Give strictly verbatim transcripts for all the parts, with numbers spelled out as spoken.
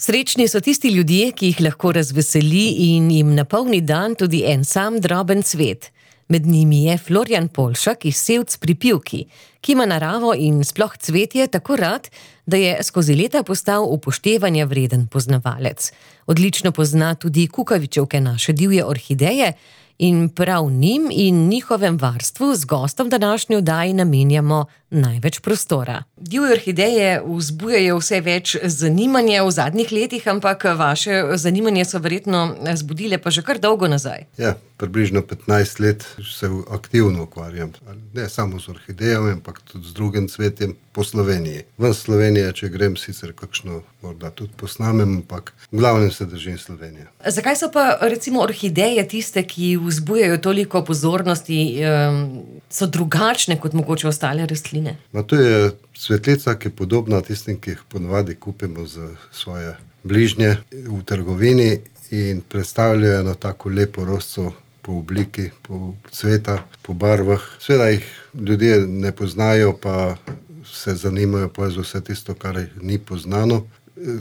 Srečni so tisti ljudje, ki jih lahko razveseli in jim napolni dan tudi en sam droben cvet. Med njimi je Florjan Poljšak iz Sevc pri Pivki, ki ima naravo in sploh cvetje tako rad, da je skozi leta postal upoštevanja vreden poznavalec. Odlično pozna tudi kukavičevke, naše divje orhideje, in prav njim in njihovem varstvu z gostom današnje oddaje namenjamo največ prostora. Divje orhideje vzbujajo vse več zanimanja v zadnjih letih, ampak vaše zanimanje so verjetno zbudile pa že kar dolgo nazaj. Ja, približno petnajst let se aktivno ukvarjam. Ne samo z orhidejami, ampak tudi z drugim cvetjem po Sloveniji. V Sloveniji, če grem, sicer kakšno morda tudi posnamem, ampak v glavnem se držim Slovenije. Zakaj so pa recimo orhideje tiste, ki vzbujajo toliko pozornosti, so drugačne kot mogoče ostale rastline? Ma to je cvetlica, ki je podobna tistim, ki jih ponavadi kupimo za svoje bližnje v trgovini in predstavljajo eno tako lepo rožico po obliki, po cveta, po barvah. Seveda jih ljudje ne poznajo, pa se zanimajo pa za vse tisto, kar ni poznano.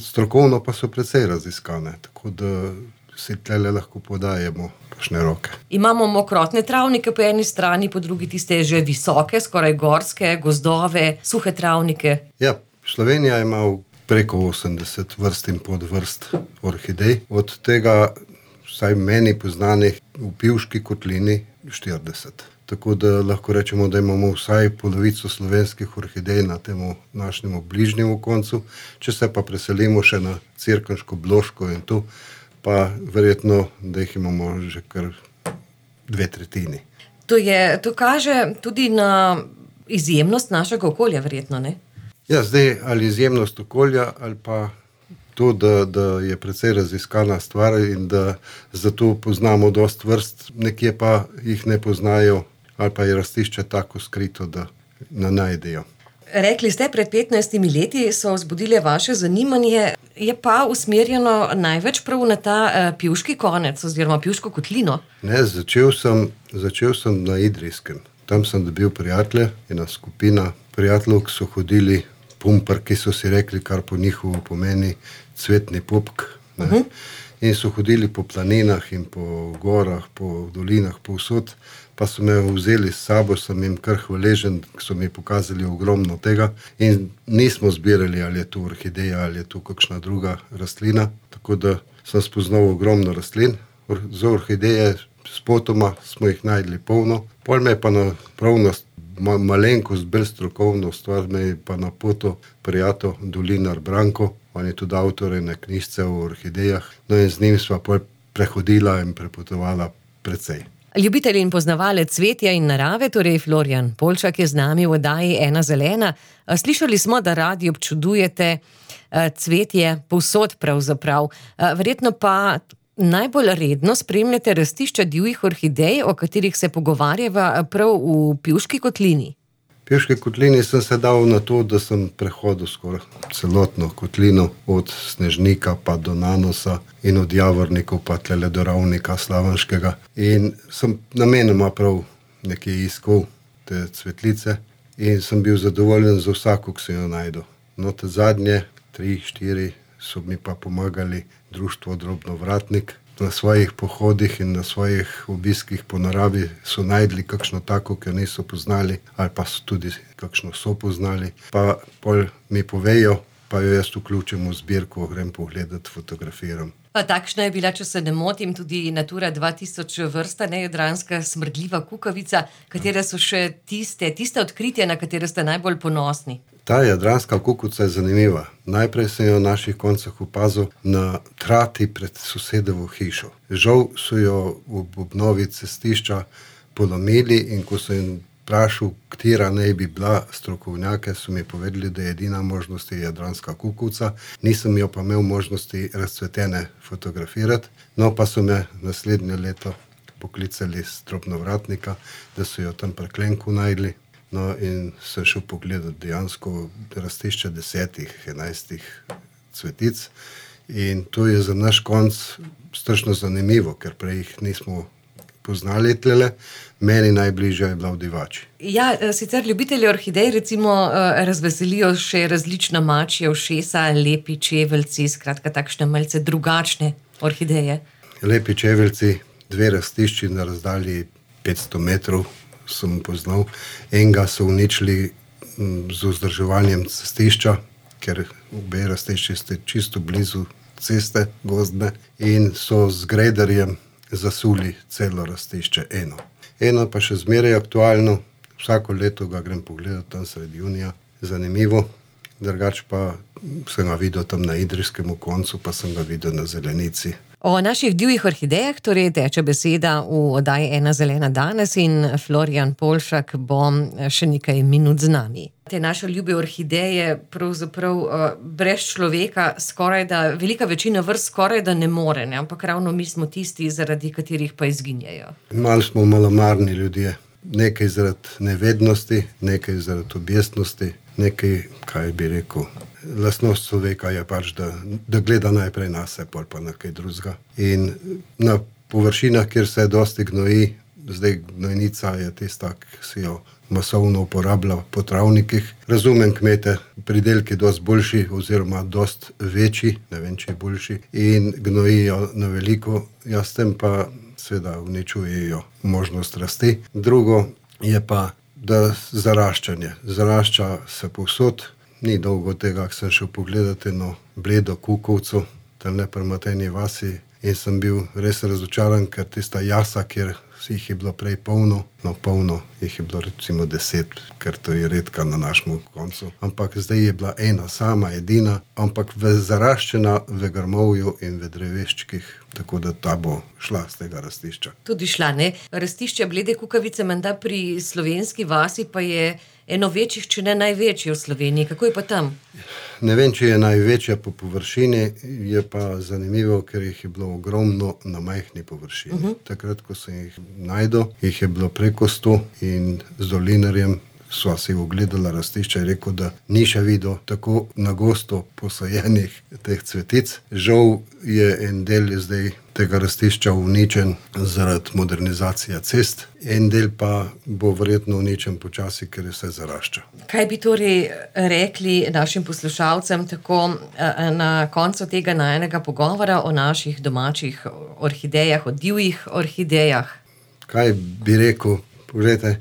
Strokovno pa so precej raziskane, tako da si tlele lahko podajemo kakšne roke. Imamo mokrotne travnike po eni strani, po drugi tiste že visoke, skoraj gorske, gozdove, suhe travnike. Ja, Slovenija ima preko osemdeset vrst in podvrst orhidej. Od tega, vsaj meni poznanih, v Pivški kotlini štirideset. Tako da lahko rečemo, da imamo vsaj polovico slovenskih orhidej na temu našemu bližnjemu koncu. Če se pa preselimo še na Cerkniško, Bloško in tu, pa verjetno, da jih imamo že kar dve tretjini. To je, to kaže tudi na izjemnost našega okolja, verjetno, ne? Ja, zdaj ali izjemnost okolja, ali pa to, da, da je precej raziskana stvar in da zato poznamo dosti vrst, nekje pa jih ne poznajo, ali pa je rastišče tako skrito, da ne najdejo. Rekli ste, pred petnajstimi leti so vzbudile vaše zanimanje, je pa usmerjeno največ prav na ta uh, Pivški konec oziroma Pivško kotlino. Ne, začel sem, začel sem na Idrijskem. Tam sem dobil prijatelje, ena skupina prijateljev, ki so hodili pumpar, ki so si rekli, kar po njihovo pomeni cvetni pupk. Ne? Uh-huh. In so hodili po planinah in po gorah, po dolinah, povsod. Pa so me vzeli s sabo, sem jim kar hvaležen, ki so mi pokazali ogromno tega in nismo zbirali, ali je to orhideja, ali je to kakšna druga rastlina, tako da sem spoznal ogromno rastlin. Za orhideje spotoma smo jih najdli polno, pol me je pa na pravnost ma, malenkost, bolj strokovno stvar me je pa na poto prijatelj Dolinar Branko, on je tudi avtor ene knjižice o orhidejah, no in z njim sva pol prehodila in prepotovala precej. Ljubitelj in poznavalec cvetja in narave, torej Florjan Poljšak je z nami v oddaji Ena zelena. Slišali smo, da radi občudujete cvetje povsod pravzaprav. Verjetno pa najbolj redno spremljate rastišča divjih orhidej, o katerih se pogovarjava prav v Pivški kotlini. V Pivški kotlini sem se dal na to, da sem prehodil skoraj celotno kotlino, od Snežnika pa do Nanosa in od Javornikov pa tlele do Ravnika Slavenškega. In sem namenoma prav nekje iskal te cvetlice in sem bil zadovoljen za vsako, ki sem jo najdel. No, te zadnje, tri, štiri, so mi pa pomagali društvo Drobnovratnik. Na svojih pohodih in na svojih obiskih po naravi so najdli kakšno tako, ki jo niso poznali, ali pa so tudi kakšno so poznali. Pa pol mi povejo, pa jo jaz vključim v zbirko, grem pogledat, fotografiram. Pa takšna je bila, če se ne motim, tudi Natura dva tisoč vrsta, nejadranska smrdljiva kukavica, katere so še tiste, tiste odkritja, na katere ste najbolj ponosni. Ta jadranska kukuca je zanimiva. Najprej sem jo v naših koncah opazil na trati pred sosedovo hišo. Žal so jo v obnovi cestišča polomili in ko sem jim vprašal, katera naj bi bila strokovnjake, so mi povedali, da je edina možnost je jadranska kukuca. Nisem jo pa imel možnosti razcvetene fotografirati, no pa so me naslednje leto poklicali z Drobnovratnika, da so jo tam pri Klenku najdli. No in sem šel pogledat dejansko rastišče desetih, enajstih cvetic in to je za naš konc strašno zanimivo, ker prej jih nismo poznali tlele. Meni najbližja je bila v Divači. Ja, sicer ljubitelji orhidej recimo razveselijo še različna mačja ušesa, lepi čeveljci, skratka takšne malce drugačne orhideje. Lepi čeveljci, dve rastišči na razdalji petsto metrov sem poznal. Enega so uničili z vzdrževanjem cestišča, ker obe rastišči ste čisto blizu ceste gozdne in so z grederjem zasuli celo rastišče eno. Eno pa še zmeraj aktualno, vsako leto ga grem pogledat tam sredi junija, zanimivo, drugače pa sem ga videl tam na idrijskem koncu, pa sem ga videl na zelenici. O naših divjih orhidejah torej teče beseda v oddaji Ena zelena danes in Florjan Polšak bo še nekaj minut z nami. Te naše ljube orhideje pravzaprav uh, brez človeka skoraj da, velika večina vrst skoraj da ne more, ne? Ampak ravno mi smo tisti, zaradi katerih pa izginjajo. Malo smo malomarni ljudje. Nekaj zaradi nevednosti, nekaj zaradi objestnosti, nekaj, kaj bi rekel, lastnost človeka je pač, da, da gleda najprej na se, pol pa na kaj drugega. In na površinah, kjer se dosti gnoji, zdaj gnojnica je tista, ki si jo masovno uporablja po travnikih. Razumem kmete, pridelki dosti boljši oziroma dosti večji, ne vem, če je boljši, in gnojijo na veliko, jaz tem pa seveda uničujejo možnost rasti. Drugo je pa, da zaraščanje. Zarašča se povsod. Ni dolgo tega, ko sem šel pogledat eno bledo kukovco, tam ne pri Matejni vasi, in sem bil res razočaran, ker tista jasa, kjer jih je bilo prej polno, no polno jih je bilo recimo deset, ker to je redka na našem koncu. Ampak zdaj je bila ena sama, edina, ampak v zaraščena v grmovju in v dreveščkih, tako da ta bo šla z tega rastišča. Tudi šla, ne? Rastišče blede kukavice menda pri Slovenski vasi pa je eno večjih, če ne največje v Sloveniji. Kako je pa tam? Ne vem, če je največja po površini, je pa zanimivo, ker jih je bilo ogromno na majhni površini. Uh-huh. Takrat, ko sem jih najdel, jih je bilo preko sto in z dolinarjem sva si ogledala rastišča in rekel, da ni še videl tako na gosto posajenih teh cvetic. Žal je en del zdaj tega rastišča uničen zaradi modernizacije cest, en del pa bo verjetno uničen počasi, ker je vse zarašča. Kaj bi torej rekli našim poslušalcem tako na koncu tega najenega pogovora o naših domačih orhidejah, o divjih orhidejah? Kaj bi rekel? Poglejte,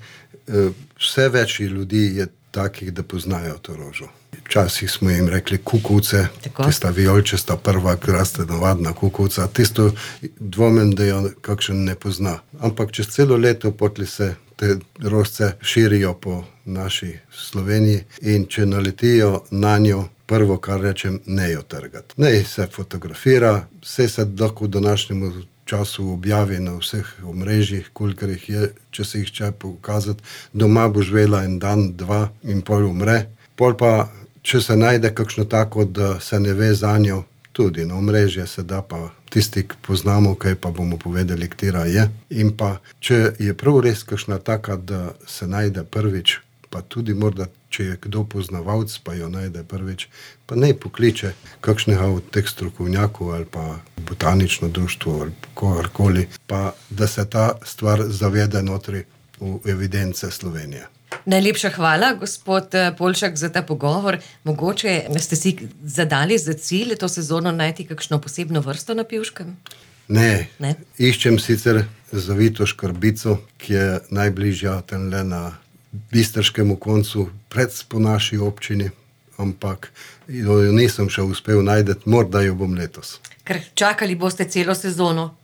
vse več ljudi je takih, da poznajo to rožo. Včasih smo jim rekli kukovce, tista vijolčasta prva, ki raste navadna kukovca, tisto dvomim, da jo kakšen ne pozna. Ampak čez celo leto potli se te rožce širijo po naši Sloveniji in če naletijo na njo, prvo, kar rečem, ne jo trgati. Ne se fotografira, vse se lahko v današnjemu času objavi na vseh omrežjih, kolikor jih je, če se jih če pokazati. Doma bo živela en dan, dva in pol umre. Pol pa, če se najde kakšno tako, da se ne ve za njo, tudi na omrežje se da pa tisti, ki poznamo, kaj pa bomo povedali, katera je. In pa, če je prav res kakšna taka, da se najde prvič, pa tudi morda, če je kdo poznavalc, pa jo najde prvič, pa naj pokliče kakšnega od teh strokovnjakov ali pa botanično društvo ali kogarkoli, pa da se ta stvar zavede notri v evidence Slovenije. Najlepša hvala, gospod Polšak, za ta pogovor. Mogoče ste si zadali za cilj to sezono najti kakšno posebno vrsto na Pivškem? Ne. ne. Iščem sicer zavito škrbico, ki je najbližja tenle na bistrškemu koncu, pred po naši občini, ampak jo nisem še uspel najdeti, morda jo bom letos. Ker čakali boste celo sezono.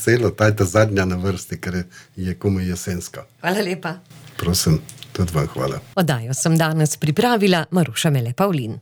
Celo, ta je ta zadnja na vrsti, ker je komaj jesenska. Hvala lepa. Prosim, tudi vam hvala. Oddajo sem danes pripravila Maruša Mele Pavlin.